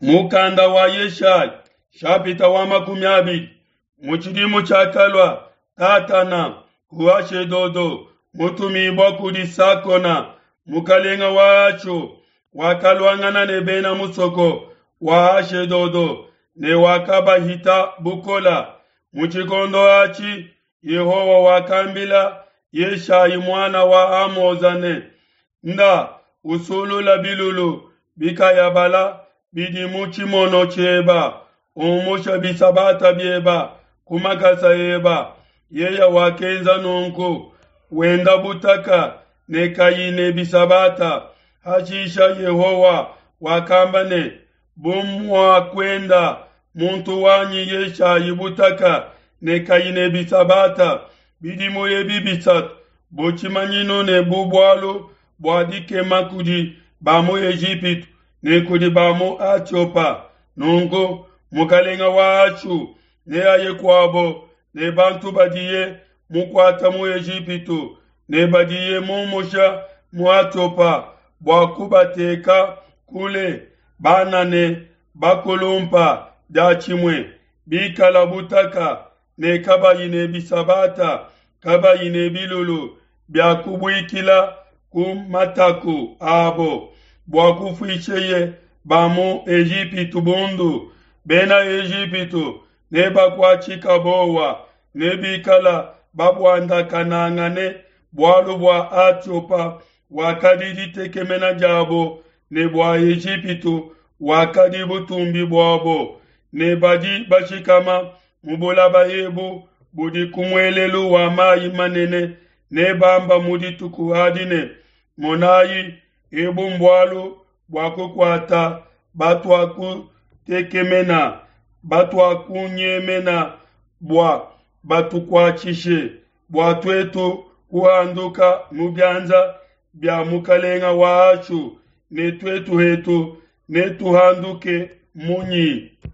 Mukanda wa Yeshaya nshapita wa 20. Mu tshidimu tshiakalua Tatana ku Ashedodo mutumibua kudi Sakona mukalenga wa Ashu, wakaluangana ne bena musoko wa Ashedodo ne wakabahita bukola. Mu tshikondo atshi Yehowa wakambila Yeshayi muana wa Amoza ne, Nda usulula bilulu bikayabala bidi mu tshimono tshieba, umusha bisabata bieba ku makasa eba. Yeya wakenza nunku, wenda butaka ne kayi ne bisabata. Hashisha Yehowa wakamba ne, Bu muakuenda muntu wanyi Yeshayi butaka ne kayi ne bisabata bidimu ebi bisatu, bu tshimanyinu ne bu bualu bua dikema kudi ba mu Ejipitu ne kudi ba mu Atiopa, nunku mukalenga wa Ashu neaye kuabo ne bantu badiye mukuata mu Ejipitu ne badiye mumusha mu Atiopa bua kubateka kule, bana ne bakulumpa diatshimue, bikala butaka ne kabayi ne bisabata, kabayi ne bilulu bia kubuikila ku mataku abo, bua kufuisheye ba mu Ejipitu bundu. Bena Ejipitu nebakuatshika bowa, nebikala babuandakanangane, bualu bua Atiopa wakadi ditekemena diabo ne bua Ejipitu wakadi butumbi buabo, ne badi bashikama mu bulaba ebu budi ku muelelu wa mayi manene nebamba mu dituku adi ne, Monayi, ebu mbualu bua kukuata batuakutekemena, batuakunyemena bua batukuatshishe, bua tuetu kuhanduka mu bianza bia mukalenga wa Ashu, ne tuetu hetu netuhanduke munyi?